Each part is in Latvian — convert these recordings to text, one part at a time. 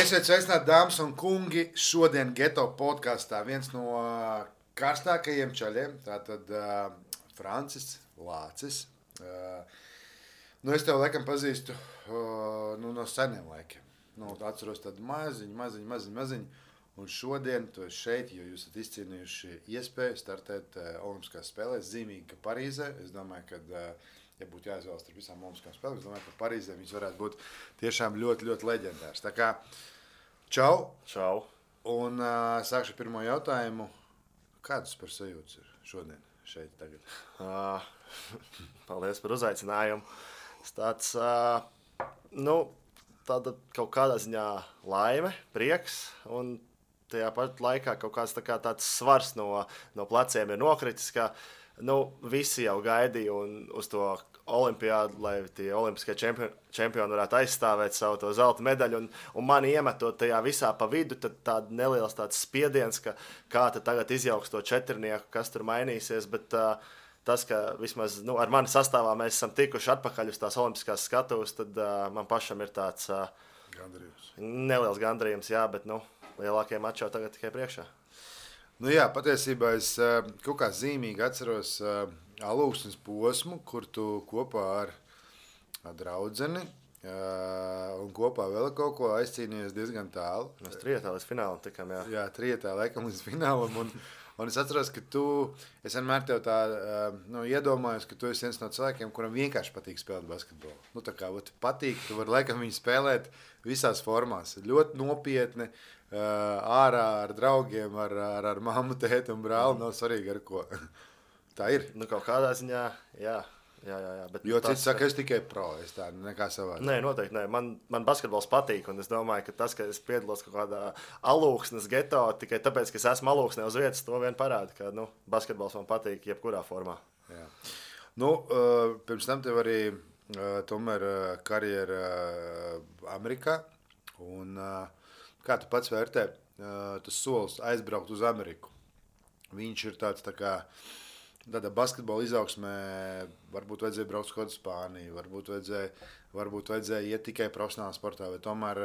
Esiet sveicināti, dāmas un kungi. Šodien Geto podkāstā viens no karstākajiem čaļiem. Tātad Francis Lācis. Es tev laikam pazīstu no seniem laikiem. Atceros tādu maziņu. Un šodien tu esi šeit, jo jūs esat izcīnījuši iespēju startēt Olimpiskās spēlēs zīmīgi Parīzē. Es domāju, ka, ja būtu jāizvēlas starp visām Olimpiskām spēlēm, es domāju, ka Parīzē viņas varētu būt tiešām ļoti, ļoti leģendārs. Tā kā čau! Un sākšu pirmo jautājumu. Kādas par sajūtas ir šodien šeit tagad? Paldies par uzaicinājumu. Tāds, tāda kaut kādā ziņā laime, prieks un tajā pat laikā kaut kāds tāds svars no pleciem ir nokritis, ka visi jau gaidīja uz to olimpiādu, lai tie olimpiskie čempioni varētu aizstāvēt savu to zelta medaļu. Un mani iemetot tajā visā pa vidu, tad tāda neliels tāds spiediens, ka kā tad tagad izjauks to četrnieku, kas tur mainīsies. Bet tas, ka vismaz ar mani sastāvā mēs esam tikuši atpakaļ uz tās olimpiskās skatuves, tad man pašam ir tāds neliels gandarījums, jā, bet lielākie mači jau tagad tikai priekšā. Patiesībā es kaut kā zīmīgi atceros alūksnes posmu, kur tu kopā ar draudzeni un kopā vēl kaut ko aizcīnījies diezgan tālu. Mēs trietā līdz finālam tikām, jā. Jā, trietā laikam līdz finālam. Un es atceros, ka es vienmēr tev tā iedomājos, ka tu esi viens no cilvēkiem, kuram vienkārši patīk spēlēt basketbolu. Tā kā patīk, tu vari laikam viņu spēlēt visās formās. Ļoti nopietni, ārā ar draugiem, ar mammu, tēti un brāli, nav svarīgi ar ko. Tā ir. Kaut kādā ziņā, jā. Bet jo cits saka, es tikai pro, es tā nekā savādāk. Nē, noteikti nē. Man basketbols patīk, un es domāju, ka tas, ka es piedalos kaut kādā alūksnes geto, tikai tāpēc, ka es esmu alūksnē uz vietas, to vien parāda, ka basketbols man patīk jebkurā formā. Jā. Pirms tam tev arī tomēr karjera Amerikā, un kā tu pats vērtē tas solis aizbraukt uz Ameriku? Viņš ir tāds tā kā tāda basketbola izaugsmē, varbūt vajadzēja braukt uz kaut kādu Spāniju, varbūt vajadzēja iet tikai profesionālā sportā, vai tomēr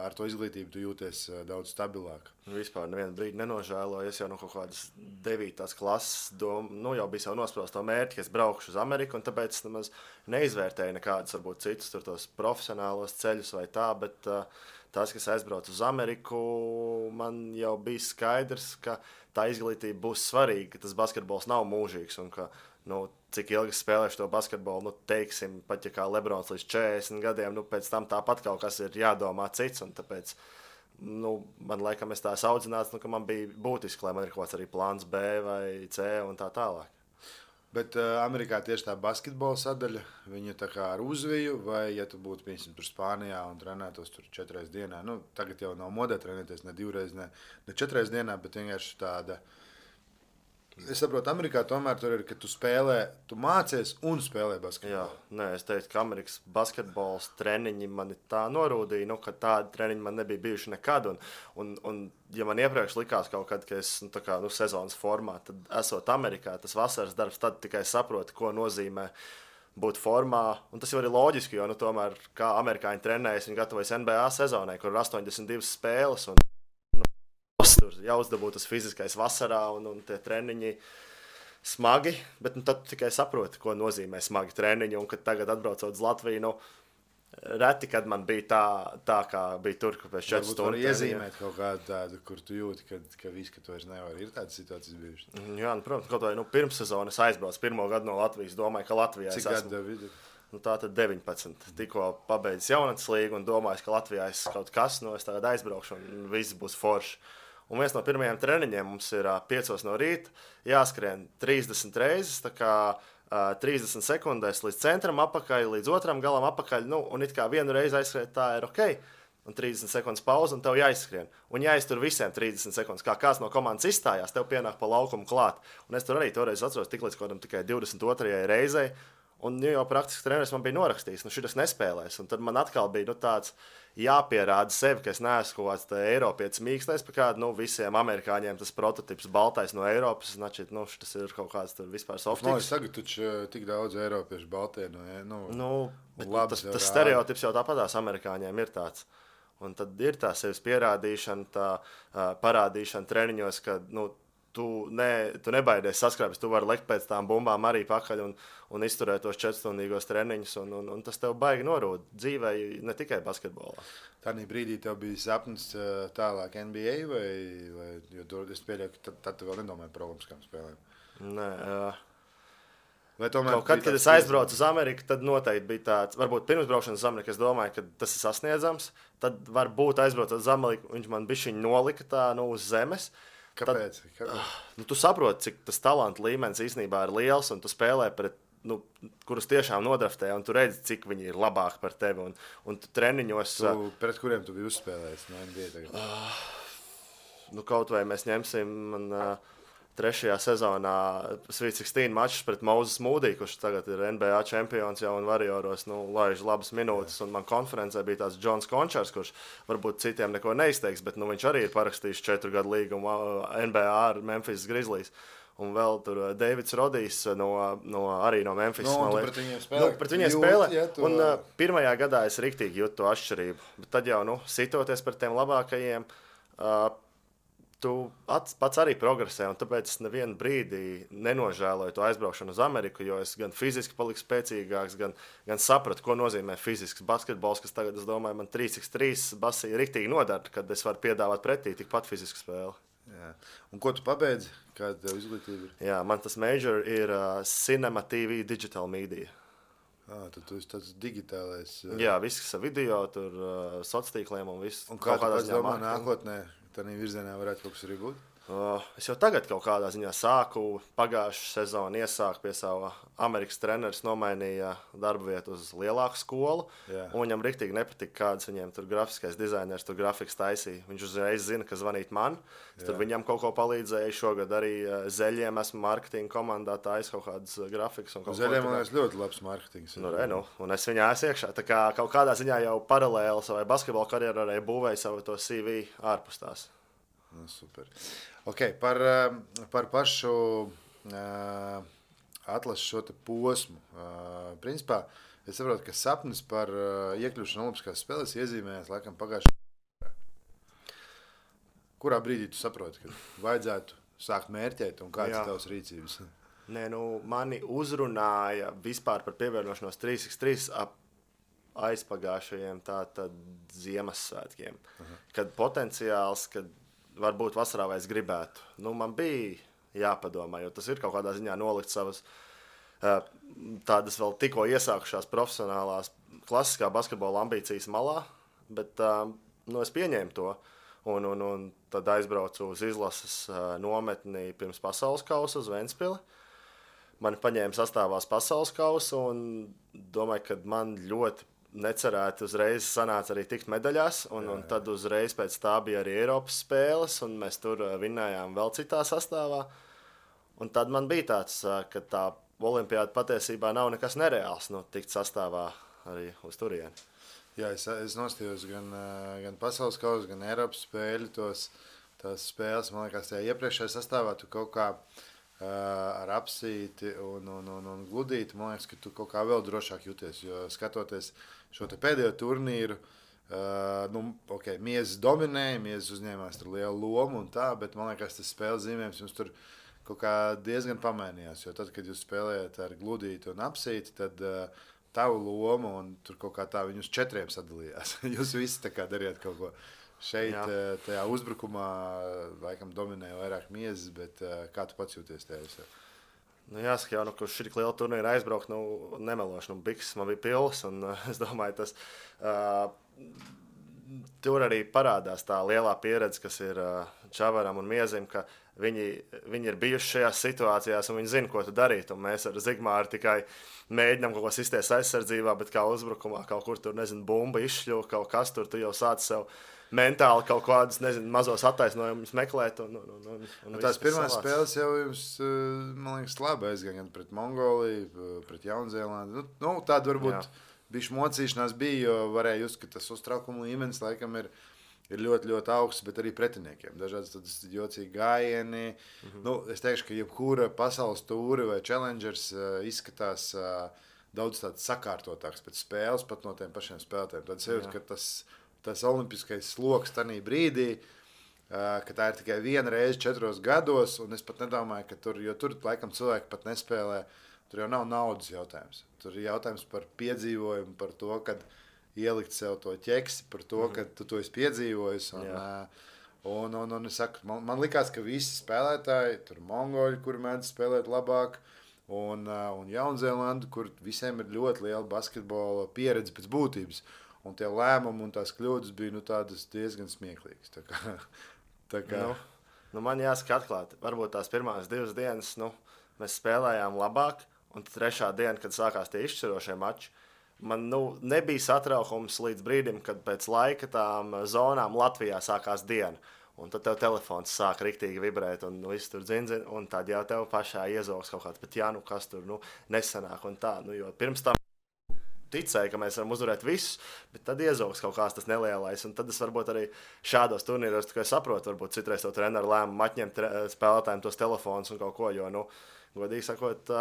ar to izglītību tu jūties daudz stabilāk? Vispār nevienu brīdi nenožēloju. Es jau no kaut kādas 9. klases jau biju jau nospraust to mērķi, ka es braukšu uz Ameriku, un tāpēc nemaz neizvērtēju nekādus varbūt citus tos profesionālos ceļus vai tā, bet tas, kas aizbrauc uz Ameriku, man jau bija skaidrs, ka tā izglītība būs svarīga, ka tas basketbols nav mūžīgs un ka, cik ilgi spēlēšu to basketbolu, teiksim, pat ja kā Lebrons līdz 40 gadiem, pēc tam tāpat kaut kas ir jādomā cits, un tāpēc, man laikam es tā audzināts, ka man bija būtiski, lai man ir kaut kāds arī plāns B vai C un tā tālāk. Bet Amerikā tieši tā basketbola sadaļa, viņa tā kā ar uzviju, vai ja tu būtu, piemēram, tur Spānijā un trenētos tur 4 reizes dienā, tagad jau nav modē trenēties ne 2 reizes, ne 4 reizes dienā, bet vienkārši tāda. Es saprotu, Amerikā tomēr tur ir, ka tu spēlē, tu mācies un spēlē basketbolu. Jā, es teiktu, ka Amerikas basketbols treniņi mani tā norūdīja, ka tādi treniņi man nebija bijuši nekad. Un ja man iepriekš likās kaut kad, ka es sezonas formā, tad esot Amerikā, tas vasaras darbs, tad tikai saprotu, ko nozīmē būt formā. Un tas jau ir loģiski, jo tomēr kā amerikāņi trenējas, viņi gatavojas NBA sezonai, kur ir 82 spēles. Un tur jāuzdabūt tas fiziskais vasarā un tie treniņi smagi, bet tad tikai saproti, ko nozīmē smagi treniņi. Un kad tagad atbraucot uz Latviju, reti, kad man bija tā kā bija tur, ka pēc 4 stundu. Varbūt iezīmēt kaut kādu tādu, kur tu jūti, ka viss, ka tu vairs nevar. Ir tādas situācijas bijušas? Jā, protams, kaut vai pirms sezonas aizbraucu pirmo gadu no Latvijas, domāju, ka Latvijā Cik gadu tev vidu? Tātad 19. Tikko pabeidzis jaunatnes līgu un domāju, ka Latvijā es kaut kas, es tagad aizbraukšu un viss būs forši. Un viens no pirmajiem treniņiem mums ir 5 no rīta, jāskrien 30 reizes, tā kā 30 sekundēs līdz centram apakaļ, līdz otram galam apakaļ, un it kā vienu reizi aizskriet, tā ir ok, un 30 sekundes pauze, un tev jāizskrien. Un jāiztur visiem 30 sekundes, kā kāds no komandas izstājās, tev pienāk pa laukumu klāt. Un es tur arī toreiz atceros tik līdz kodam tikai 22. reizei, un jau praktiski treneris man bija norakstījis, šitas nespēlēs. Un tad man atkal bija tāds jāpierāda sevi, ka es neesmu kaut kāds Eiropietis mīkstais, pa kādu visiem amerikāņiem tas prototips baltais no Eiropas, значит, tas ir kaut kāds tur vispār softīgs. Es tagad taču tik daudz eiropiešu baltie, tas stereotips jau tāpatās amerikāņiem ir tāds. Un tad ir tā sevis pierādīšana, tā parādīšana treniņos, ka tu nebaidies saskrāpes, tu vari lekt pēc tām bumbām arī pakaļ un izturēt tos 4-stundīgos treniņus, un tas tev baigi norūd dzīvē, ne tikai basketbolā. Tādā brīdī tev bija sapnis tālāk NBA, jo es pieļauju, ka tad tu vēl nedomāji par olimpiskām spēlēm? Nē, Kad es aizbraucu uz Ameriku, tad noteikti bija tāds, varbūt pirmsbraukšanas uz Ameriku, es domāju, ka tas ir sasniedzams. Tad varbūt aizbraucot uz Ameriku, viņš man bišķiņ nolika tā uz zemes. Kāpēc? Tu saproti, cik tas talanta līmenis īstenībā ir liels, un tu spēlē pret, kurus tiešām nodraftē, un tu redzi, cik viņi ir labāki par tevi. Un tu treniņos... Pret kuriem tu biji uzspēlējis no NBA tagad? Kaut vai mēs ņemsim... Trešajā sezonā Sweet 16 mačs pret Moses Moody, kurš tagad ir NBA čempions jau un Warrioros laiž labas minūtes. Un man konferencē bija tāds Džons Končars, kurš varbūt citiem neko neizteiks, bet viņš arī ir parakstījis 4 gadu līgumu NBA ar Memphis Grizzlies. Un vēl tur Davids Rodijs arī no Memphis. Pret viņiem spēlē. Un pirmajā gadā es riktīgi jūtu to atšķirību. Bet tad jau sitoties par tiem labākajiem, tu pats arī progresē, un tāpēc es nevienu brīdi nenožēloju to aizbraukšanu uz Ameriku, jo es gan fiziski paliku spēcīgāks, gan sapratu, ko nozīmē fizisks basketbols, kas tagad, es domāju, man 3x3 basī riktīgi nodara, kad es varu piedāvāt pretī tikpat fizisku spēli. Jā. Un ko tu pabeidzi? Kāda tev izglītība ir? Jā, man tas major ir Cinema TV Digital Media. Tad tu esi tāds digitālais. Jā, viss ar video, tur sociāliem un viss. Un kā tu pats domā nākotnē? Tādā virzienā varētu kaut kas arī būt? Es jau tagad kaut kādā ziņā sāku. Pagājušā sezona iesāku pie sava Amerikas treneris, nomainīja darba vietu uz lielāku skolu. Jā. Un viņam riktīgi nepatika, kāds viņiem tur grafiskais dizainers, tur grafiks taisīja. Viņš uzreiz zina, ka zvanīt man. Es tur viņam kaut ko palīdzēju. Šogad arī Zeļiem esmu marketinga komandā taisa kaut kādas grafikas. Zeļiem, man liekas, ļoti labs marketings. Un es viņā esmu iekšā. Tā kā kaut kādā ziņā jau paralēli savai basketbola karjerai būvēju savu to CV ārpus tās. Super. Okay, par pašu atlases šo te posmu. Principā, es saprotu, ka sapnis par iekļūšanu Olimpiskās spēlēs iezīmējās laikam pagājušajā. Kurā brīdī tu saproti, ka vajadzētu sākt mērķēt un kāds ir tavs rīcības? Mani uzrunāja vispār par pievienošanos 3x3 aizpagājušajiem tātad Ziemassvētkiem. Kad potenciāls, kad varbūt vasarā vai es gribētu. Man bija jāpadomā, jo tas ir kaut kādā ziņā nolikt savas tādas vēl tikko iesākušās profesionālās klasiskā basketbola ambīcijas malā, bet es pieņēmu to un tad aizbraucu uz izlases nometni pirms pasaules kausa uz Ventspili. Mani paņēma sastāvās pasaules kausa un domāju, ka man ļoti necerēti uzreiz sanāca arī tikt medaļās, un tad uzreiz pēc tā bija arī Eiropas spēles, un mēs tur vinnējām vēl citā sastāvā. Un tad man bija tāds, ka tā olimpiāda patiesībā nav nekas nereāls, tikt sastāvā arī uz turieni. Jā, es nostījos gan pasaules kausa, gan Eiropas spēļu, tās spēles, man liekas, tajā iepriekšējā sastāvā tu kaut kā ar apsīti un gludīti, man liekas, ka tu kaut kā vēl drošāk jūties, jo skatoties šo te pēdējo turnīru, Miezes dominēja, Miezes uzņēmās tur lielu lomu un tā, bet man liekas, tas spēles zīmējums jums tur kaut kā diezgan pamainījās, jo tad, kad jūs spēlējat ar gludīti un apsīti, tad tavu lomu un tur kaut kā tā viņi uz 4 sadalījās. Jūs visi tā kā darījāt kaut ko. Šeit, tajā uzbrukumā, laikam, dominēja vairāk Miezes, bet kā tu pats jūties tajā visā? Jāsaka jau, ka uz šī liela turnīra aizbraukt, nemelošu, bikses man bija pils, un es domāju, tas tur arī parādās tā lielā pieredze, kas ir Čavaram un Miezim, ka viņi ir bijuši šajās situācijās, un viņi zina, ko tu darīt, un mēs ar Zigmāru tikai mēģinām kaut ko sisties aizsardzībā, bet kā uzbrukumā kaut kur tur, bumba izšļuva, kaut kas tur, tu jau sāc sev mentāli kaut kādus, mazos attaisnojumus meklēt. Un tās pirmās spēles jau jums, man liekas, labi aizgāja gan pret Mongoliju, pret Jaunzēlandi. Tāda varbūt bišķi mocīšanās bija, jo varēja just, ka tas uztraukuma līmenis laikam ir ļoti, ļoti augsts, bet arī pretiniekiem. Dažādas tādas jocīgi gājieni. Es teikšu, ka jebkura pasaules tūri vai challengers izskatās daudz tāds sakārtotāks pēc spēles, pat no tiem pašiem spēlētājiem. Tad sajūt, ka tas olimpiskais sloks tajā brīdī, ka tā ir tikai viena reize 4 gados, un es pat nedomāju, ka tur laikam cilvēki pat nespēlē, tur jau nav naudas jautājums. Tur ir jautājums par piedzīvojumu, par to, kad ielikt sev to ķeksi, par to, ka tu to esi piedzīvojis. Un es saku, man likās, ka visi spēlētāji, tur mongoļi, kuri mēdz spēlēt labāk, un Jaunzēlanda, kur visiem ir ļoti liela basketbola pieredze pēc būtības. Un tie lēmumi un tās kļūdas bija tādas diezgan smieklīgas. Tā kā... Man jāsaka atklāti, varbūt tās pirmās 2 dienas mēs spēlējām labāk, un tad 3. diena, kad sākās tie izšķirošie mači, man nebija satraukums līdz brīdim, kad pēc laika tām zonām Latvijā sākās diena. Un tad tev telefons sāk riktīgi vibrēt, un viss tur dzin, un tad jau tev pašā iezogs kaut kāds, bet kas tur nesanāk un tā. Jo pirms tam ticēju, ka mēs varam uzvarēt visus, bet tad iezogs kaut kāds tas nelielais, un tad es varbūt arī šādos turnīros tikai saprotu, varbūt citreiz to treneru lēmumu atņemt spēlētājiem tos telefonus un kaut ko, jo, godīgi sakot,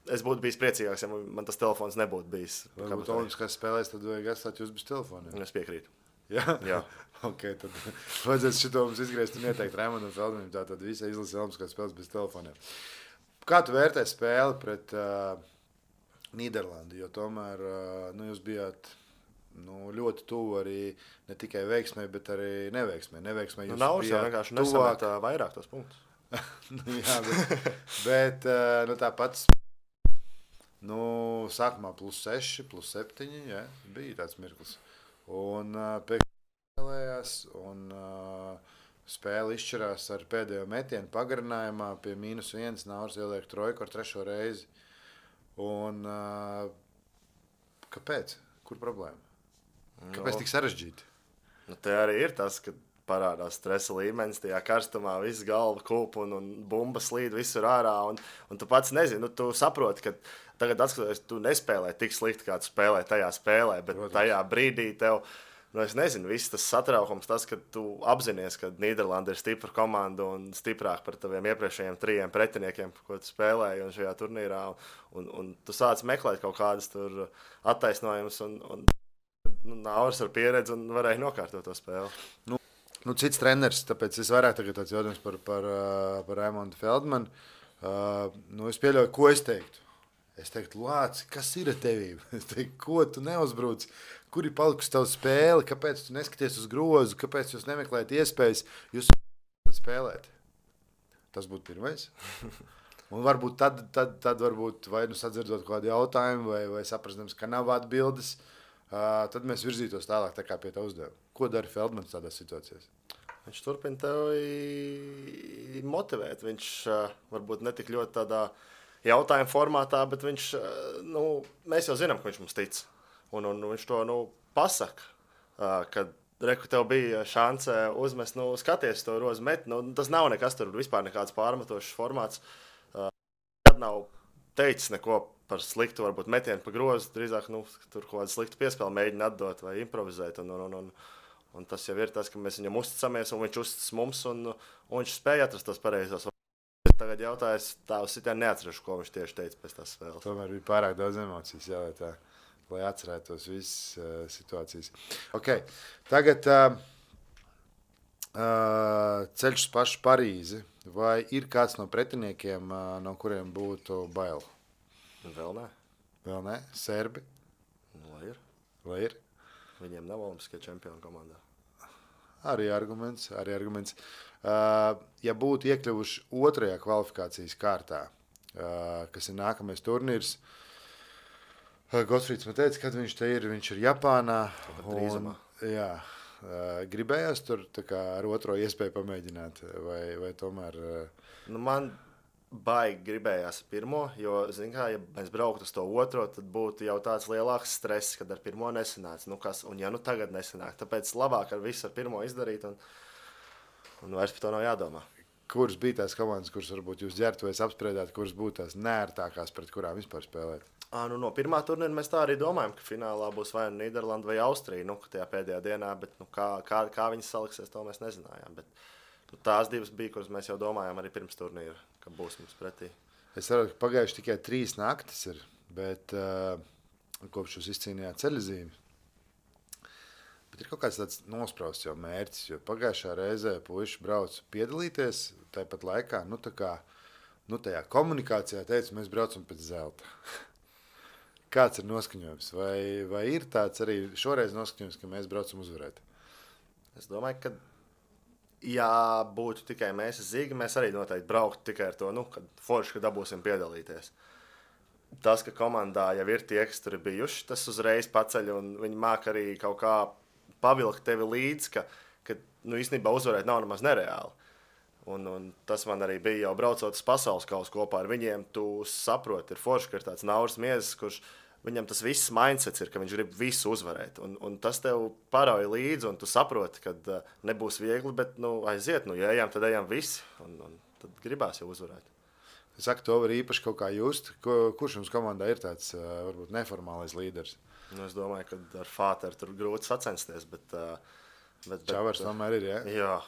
es būtu bijis priecīgāks, ja man tas telefons nebūtu bijis. Varbūt olimpiskās spēlēs, tad vajag atstāt jūs bez telefoniem. Es piekrītu. Jā. Ok, tad vajadzēs šito mums izgriezt un ieteikt Raimondam Feldmanim, tātad visai izlasi olimpiskās spēles bez telefoniem. Kā tu vērtē spēli pret Nīderlandi, jo tomēr jūs bijāt ļoti tuvu arī ne tikai veiksmē, bet arī neveiksmē. Nav jau vienkārši nesamēt vairāk tos punktus. Jā, bet tāpat sākumā +6, +7, jā, bija tāds mirklis. Un pēkšņi spēlējās, un spēle izšķirās ar pēdējo metienu pagarinājumā pie -1, Nauris ieliek trojku ar 3. reizi. Un kāpēc? Kur problēma? Kāpēc tik sarežģīti? Te arī ir tas, ka parādās stresa līmenis, tajā karstumā viss galva kūp un bumba slīd visur ārā, un tu pats nezini, tu saproti, ka tagad atskatoties, tu nespēlē tik slikti, kā tu spēlē tajā spēlē, bet tajā brīdī tev, es nezinu, viss tas satraukums, tas, ka tu apzinies, ka Nīderlanda ir stipra komanda un stiprāk par taviem iepriekšējiem 3 pretiniekiem, ko tu spēlēji un šajā turnīrā, un tu sāc meklēt kaut kādas tur attaisnojumus, un Nauris ar pieredzi un varēja nokārtot to spēli. Cits treneris, tāpēc es vairāk tagad tāds jautājums par Raimondu Feldmanu. Es pieļauju, ko es teiktu. Es teiktu, Lāci, kas ir ar tevī? Es teiktu, ko tu neuzbruc? Kur ir palikusi tava spēle? Kāpēc tu neskaties uz grozu? Kāpēc jūs nemeklējat iespējas? Jūs spēlēt? Tas būtu pirmais. Un varbūt tad varbūt vai sadzirdot kādu jautājumu, vai saprastams, ka nav atbildes, tad mēs virzītos tālāk tā kā pie tā uzdevuma. Ko dara Feldmans tādās situācijās? Viņš turpina tevi motivēt. Viņš varbūt ne tik ļoti tādā jautājuma formātā, bet viņš, mēs jau zinām, ka viņš mums tic. Un viņš to pasaka, kad tev bija šanse uzmest, skaties to rozu met. Tas nav nekas tur vispār nekāds pārmetošs formāts. Kad nav teicis neko par sliktu, varbūt metienu pa grozu, drīzāk tur kaut kādu sliktu piespēli mēģina atdot vai improvizēt. Un tas jau ir tas, ka mēs viņam uzticamies, un viņš uzticas mums, un viņš spēja atrast tos pareizos. Tagad jautājas, tā uz sitienu neatceruši, ko viņš tieši teica pēc tās spēles. Tomēr bija pārāk daudz emocijas, lai atcerētos visas situācijas. Okay. Tagad ceļš uz pašu Parīzi. Vai ir kāds no pretiniekiem, no kuriem būtu bail? Vēl nē. Vēl nē? Serbi? Lai ir? Viņiem nav olimpiskie čempioni komandā. Arī arguments. Ja būtu iekļuvuši 2. kvalifikācijas kārtā, kas ir nākamais turnīrs, Gotfrīds man teica, kad viņš te ir. Viņš ir Japānā. Jā, gribējās tur ar 2. iespēju pamēģināt, vai tomēr... Man baigi gribējās 1, jo, ja mēs brauktu uz to 2, tad būtu jau tāds lielāks stress, kad ar 1 nesanāca. Un ja tagad nesanāk, tāpēc labāk ar visu ar 1 izdarīt, un vairs par to nav jādomā. Kuras bija tās komandas, kuras varbūt jūs ģērtuvēs apspriedāt, kuras būtu tās neērtākās, pret kurām vispār spēlēt? No 1. turnīra mēs tā arī domājam, ka finālā būs vai Nīderlanda vai Austrija, tajā pēdējā dienā, bet kā viņas saliksies, to mēs nezinājām. Bet tās 2 bija, kuras mēs jau domājām arī pirms turnīra, ka būs mums pretī. Es saprotu, ka pagājuši tikai 3 naktis ir, bet kopš jūs izcīnījāt ceļazīmi, Bet ir kaut kāds tāds nosprausts jau mērķis, jo pagājušā reizē puiši brauca piedalīties, tāpat laikā, tajā komunikācijā teica, mēs braucam pēc zelta. Kāds ir noskaņojums? Vai ir tāds arī šoreiz noskaņojums, ka mēs braucam uzvarēt? Es domāju, ka ja būtu tikai mēs Zigi, mēs arī noteikti brauktu tikai ar to, kad forši, ka dabūsim piedalīties. Tas, ka komandā jau ir tie, kas tur ir bijuši, tas uzreiz paceļ, un viņi māk arī kaut kā pavilkt tevi līdzi, ka īstenībā uzvarēt nav nemaz nereāli. Un tas man arī bija jau braucot uz pasaules kausu kopā ar viņiem. Tu saproti, ir forši, ka ir tāds Nauris Miezes, kurš viņam tas viss mindsets ir, ka viņš grib visu uzvarēt. Un tas tev parauj līdzi, un tu saproti, ka nebūs viegli, bet aiziet, ja ejam, tad ejam visi, un tad gribās jau uzvarēt. Es saku, to var īpaši kaut kā just. Kurš jums komandā ir tāds varbūt neformālais līderis? Es domāju, ka ar Fāteru tur grūti sacensties, bet Čavars tomēr ir, ja? Jā.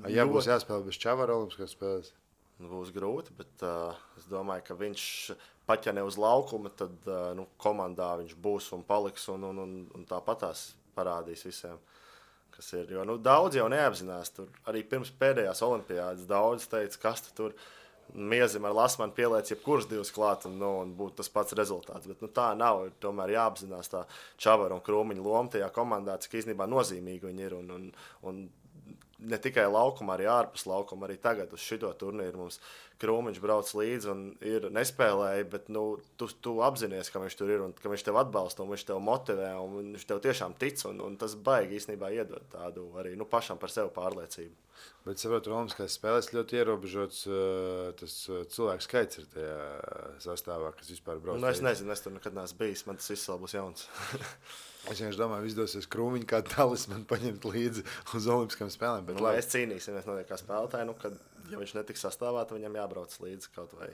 Ja būs jāspēlē bez Čavara olimpiskās spēles? Būs grūti, bet es domāju, ka viņš pat ja ne uz laukuma, tad komandā viņš būs un paliks un tāpatās parādīs visiem, kas ir. Jo daudz jau neapzinās. Tur arī pirms pēdējās olimpiādas daudz teica, kas tur Miezim ar Lasmanu pieliec jebkurus divus klāt un būtu tas pats rezultāts. Bet tā nav. Ir tomēr jāapzinās tā Čavara un Krūmiņa loma tajā komandā, cik īstenībā nozīmīgi viņi ir. Un ne tikai laukuma, arī ārpus laukuma. Arī tagad uz šito turnīru mums Krūmiņš brauc līdzi un nespēlēja, bet tu apzinies, ka viņš tur ir un ka viņš tev atbalsta un viņš tev motivē un viņš tev tiešām tic. Un tas baigi īstenībā iedod tādu arī pašam par sevi pārliecību. Bet saprotu, olimpiskās spēlēs ļoti ierobežots tas cilvēku skaits ir tajā sastāvā, kas vispār brauc. Es nezinu, es tur nekad neesmu bijis, man tas viss vēl būs jauns. Es vienkārši domāju, izdosies Krūmiņu kā talismanu paņemt līdzi uz olimpiskām spēlēm. Bet mēs cīnīsimies noteikti kā spēlētāji, kad ja viņš netiks sastāvā, tad viņam jābrauc līdzi kaut vai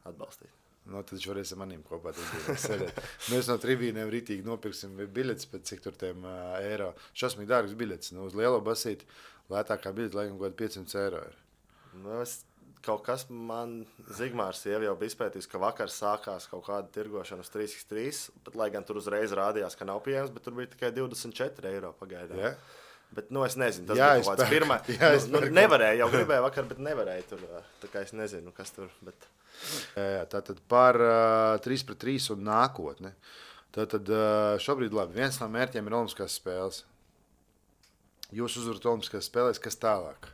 atbalstīt. Tad viņš varēs ar maniem kopā sēdēt. Mēs no tribīnēm ritīgi nopirksim biļetes pēc cik tur tiem eiro. Šausmīgi dārgas biļetes. Uz lielo basīti lētākā biļete laikam kaut 500 eiro ir. Kaut kas man Zigmārs jau bija izpētījis, ka vakar sākās kaut kāda tirgošana uz 3x3, bet lai gan tur uzreiz rādījās, ka nav pieejams, bet tur bija tikai 24 eiro pagaidām. Yeah. Bet es nezinu, tas bija kaut kāds pirmais. Nevarēja, jau gribēja vakar, bet nevarēja tur. Tā kā es nezinu, kas tur. Bet... Tātad par 3-3 un nākotni. Tātad šobrīd labi, viens no mērķiem ir olimpiskās spēles. Jūs uzvarat olimpiskās spēlēs, kas tālāk?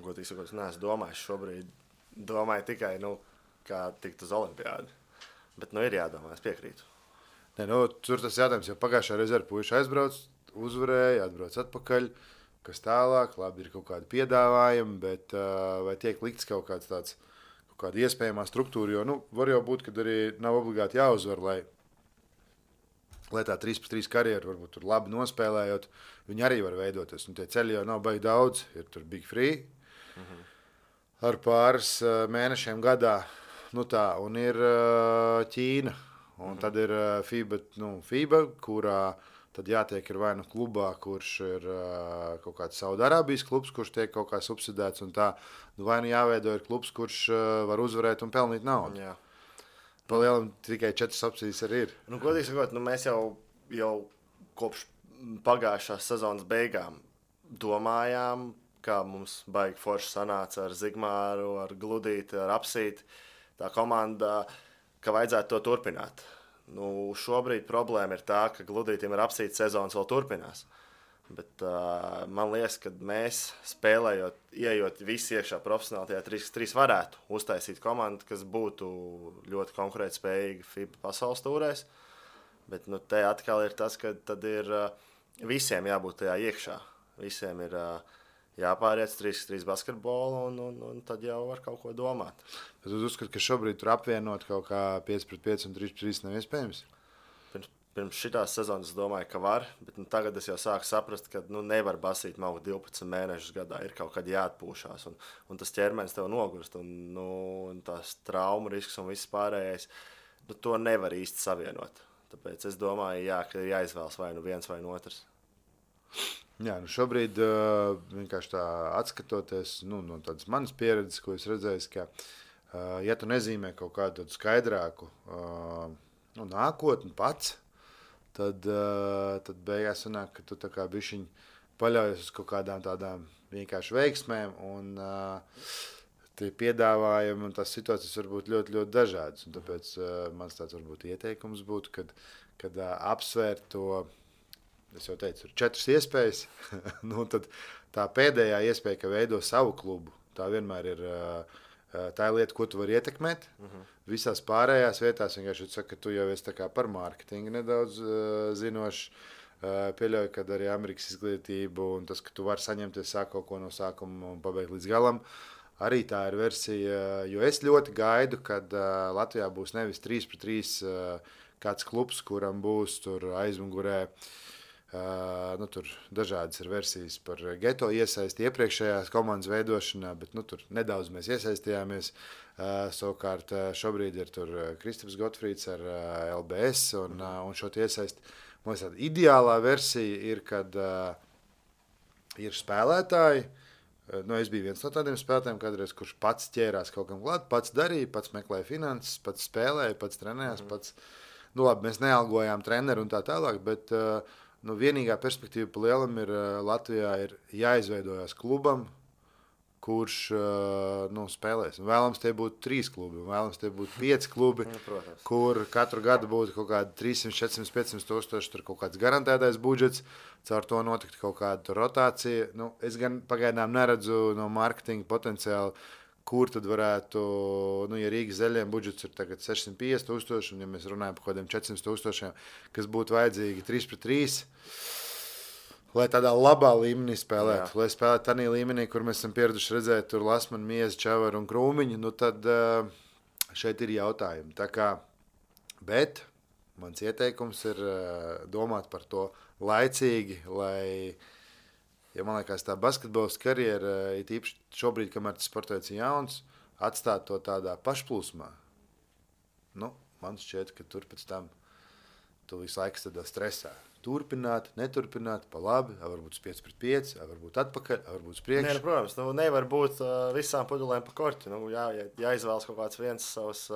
Godīgi sakot, es neesmu domājis šobrīd. Domāju tikai, kā tikt uz olimpiādu. Bet ir jādomā, es piekrītu. Tur tas jautājums, jo pagājušā reizē ar puiši aizbrauc, uzvarēja, atbrauc atpakaļ. Kas tālāk, labi, ir kaut kādi piedāvājumi, bet vai tiek likts kaut kāds tāds, kaut kāda iespējamā struktūra, jo, var jau būt, ka arī nav obligāti jāuzvar, lai tā 3x3 karjeru varbūt tur labi nospēlējot, viņi arī var veidoties. Tie ceļi jau nav baigi daudz, ir tur Big Free, ar pāris mēnešiem gadā, un ir Ķīna, un tad ir FIBA, kurā tad jātiek ir vai klubā, kurš ir kaut kāds Saudārābijas klubs, kurš tiek kaut kā subsidēts, un tā, vai jāveido ir klubs, kurš var uzvarēt un pelnīt naudu. Jā. Palielam tikai 4 opcijas arī ir. Godīgi sakot, mēs jau kopš pagājušās sezonas beigām domājām, kā mums baigi forši sanāca ar Zigmāru, ar Gludīti, ar Apsīti, tā komanda, ka vajadzētu to turpināt. Šobrīd problēma ir tā, ka Gludītim ar Apsīti sezonas vēl turpinās. Bet man liekas, ka mēs spēlējot, ieejot visi iekšā profesionāli tajā 3x3 varētu uztaisīt komandu, kas būtu ļoti konkurētspējīga FIBA pasaules tūrēs. Bet te atkal ir tas, ka tad ir visiem jābūt tajā iekšā. Visiem ir jāpāriet 3x3 basketbolu un tad jau var kaut ko domāt. Tad jūs uzskatāt, ka šobrīd tur apvienot kaut kā 5-5 un 3x3 nav iespējams? Pirms šitās sezonas es domāju, ka var, bet tagad es jau sāku saprast, ka nevar basīt maukt 12 mēnešus gadā. Ir kaut kad jāatpūšās, un tas ķermenis tev nogurst, un tās traumu risks un viss pārējais, to nevar īsti savienot. Tāpēc es domāju, ka ir jāizvēlas vai viens vai otrs. Jā, šobrīd vienkārši tā atskatoties no tādas manas pieredzes, ko es redzēju, ka ja tu nezīmē kaut kādu skaidrāku nākotni pats, tad beigās sanāk, ka tu tā kā bišķiņ paļaujies uz kaut kādām tādām vienkārši veiksmēm, un tie piedāvājumi un tās situācijas var būt ļoti, ļoti dažādas. Un tāpēc mans tāds varbūt ieteikums būtu, kad apsvērt to, es jau teicu, ir 4 iespējas, nu tad tā pēdējā iespēja, ka veido savu klubu, tā vienmēr ir tā lieta, ko tu vari ietekmēt. Visās pārējās vietās vienkārši saka, ka tu jau esi tā kā par mārketingu nedaudz zinošs. Pieļauju, ka arī Amerikas izglītību un tas, ka tu vari saņemties sāk kaut ko no sākuma un pabeigt līdz galam, arī tā ir versija, jo es ļoti gaidu, kad Latvijā būs nevis 3-3 kāds klubs, kuram būs tur aizmugurē. Tur dažādas ir versijas par geto iesaisti iepriekšējās komandas veidošanā, bet tur nedaudz mēs iesaistījāmies. Savukārt šobrīd ir tur Kristaps Gotfrīds ar LBS un šo iesaisti. Man liekas, ideālā versija ir, kad ir spēlētāji. Es biju viens no tādiem spēlētājiem, kādreiz, kurš pats ķērās kaut kam klāt, pats darīja, pats meklēja finanses, pats spēlēja, pats trenējās, pats. Labi, mēs nealgojām treneru un tā tālāk, bet vienīgā perspektīva pa lielam ir Latvijā ir jāizveidojas klubam, kurš spēlēs. Un vēlams tie būtu 3 klubi, un vēlams tie būtu 5 klubi, kur katru gadu būtu kaut kādi 300, 400, 500 tūkstoši, tur kaut kāds garantētais budžets, caur to notikt kaut kāda rotācija. Es gan pagaidām neredzu no mārketinga potenciālu, kur tad varētu, ja Rīgas zaļiem budžets ir tagad 650 tūkstoši, un ja mēs runājam par kādiem 400 tūkstošiem, kas būtu vajadzīgi 3-3, lai tādā labā līmenī spēlētu. Lai spēlētu tādā līmenī, kur mēs esam pieraduši redzēt, tur Lasmanu, Miezu, Čavaru un Krūmiņu, tad šeit ir jautājumi. Tā kā, bet mans ieteikums ir domāt par to laicīgi, lai... Ja man liekas, tā basketbola karjera, it īpaši šobrīd, kamēr tas sportēts jauns, atstāt to tādā pašplūsmā. Man šķiet, ka tur pēc tam tu visu laiku tādā stresā. Turpināt, neturpināt, pa labi, varbūt 5-5, varbūt atpakaļ, varbūt priekš. Nē, protams, nevar būt visām pudelēm pa korķi. Jāizvēlas kaut kāds viens savs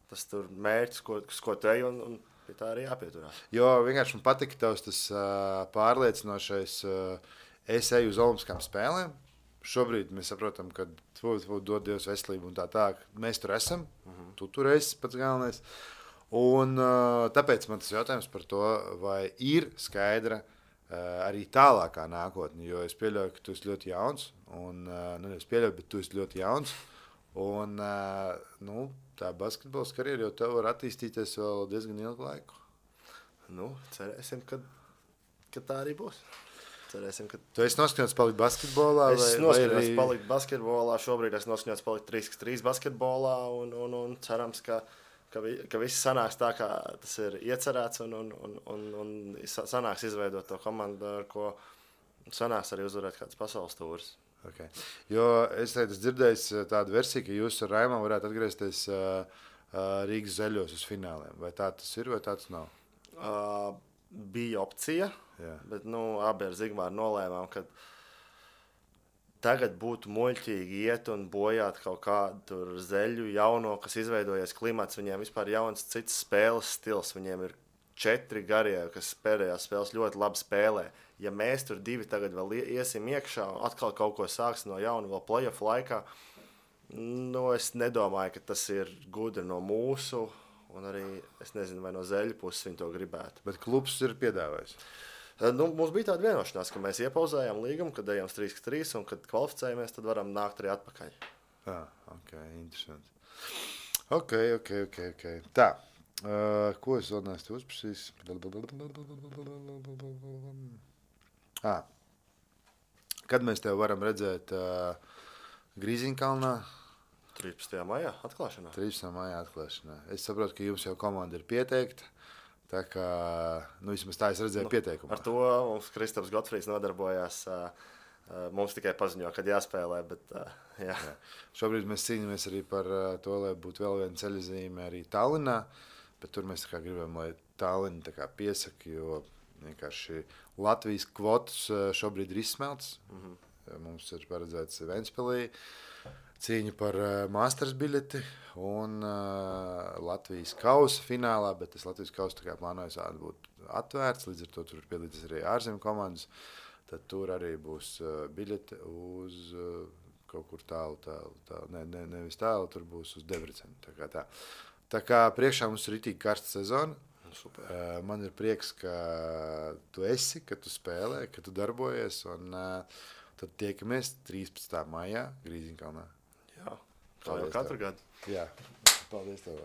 tas tur mērķis, ko te ej, un pie tā arī jāpieturās. Jo vienkārši man patika tavs tas pārliecinošais... Es eju uz Olimpiskām spēlēm. Šobrīd mēs saprotam, ka dod Dievs veselību un tā. Mēs tur esam. Tu tur esi pats galvenais. Un tāpēc man tas jautājums par to, vai ir skaidra arī tālākā nākotne. Jo es pieļauju, ka tu esi ļoti jauns. Es pieļauju, bet tu esi ļoti jauns. Un tā basketbola karjera jau tev var attīstīties vēl diezgan ilgu laiku. Cerēsim, ka tā arī būs. Cerēsim, ka... Tu esi noskaņots palikt basketbolā? Es noskaņots palikt basketbolā. Šobrīd es noskaņots palikt 3-3 basketbolā un cerams, ka viss sanāks tā, kā tas ir iecerēts un sanāks izveidot to komandu, ar ko sanāks arī uzvarēt kāds pasaules tūris. Okay. Jo es dzirdēju tādu versiju, ka jūs ar Raimu varētu atgriezties Rīgas zaļos uz fināliem. Vai tā tas ir, vai tā tas nav? Bija opcija, bet abi ar Zigmāru nolēmām, ka tagad būtu muļķīgi iet un bojāt kaut kādu zeļu jauno, kas izveidojies klimats. Viņiem vispār jauns cits spēles stils. Viņiem ir 4 garie, kas pēdējās spēles ļoti labi spēlē. Ja mēs tur 2 tagad vēl iesim iekšā un atkal kaut ko sāks no jauna vēl playoff laikā, es nedomāju, ka tas ir gudri no mūsu. Un arī es nezinu, vai no zeļu puses viņi to gribētu. Bet klubs ir piedāvājis? Mums bija tāda vienošanās, ka mēs iepauzējām līgumu, kad ejam 3-3 un kad kvalificējamies, tad varam nākt arī atpakaļ. Ok, interesanti. Ok. Tā, ko es vēl neesmu uzprasījis? Kad mēs tev varam redzēt Grīziņkalnā? 13. maijā atklāšanā. 13. maijā atklāšanā. Es saprotu, ka jums jau komanda ir pieteikta. Tā kā, vismaz tā es redzēju pieteikumā. Ar to mums Kristaps Gotfrīds nodarbojās. Mums tikai paziņo, kad jāspēlē, bet jā. Šobrīd mēs cīnāmies arī par to, lai būtu vēl viena ceļazīme arī Tallinā, bet tur mēs gribam, lai Tallina piesaka, jo vienkārši Latvijas kvotas šobrīd ir izsmelts. Mums ir paredzēts Ventspilī. cīņa par Masters biļeti un Latvijas kausa finālā, bet tas Latvijas kausa tā kā plānojas būt atvērts, līdz ar to tur piedalīties arī ārzemju komandas. Tad tur arī būs biļete uz kaut kur tālu. Nevis tālu, tur būs uz Debrecenu. Tā kā priekšā mums ir ritīgi karsta sezona. Super. Man ir prieks, ka tu esi, ka tu spēlē, ka tu darbojies. Un tad tiekamies 13. maijā Grīziņkalnā. Jā, kā jau katru gadu. Jā, paldies tev.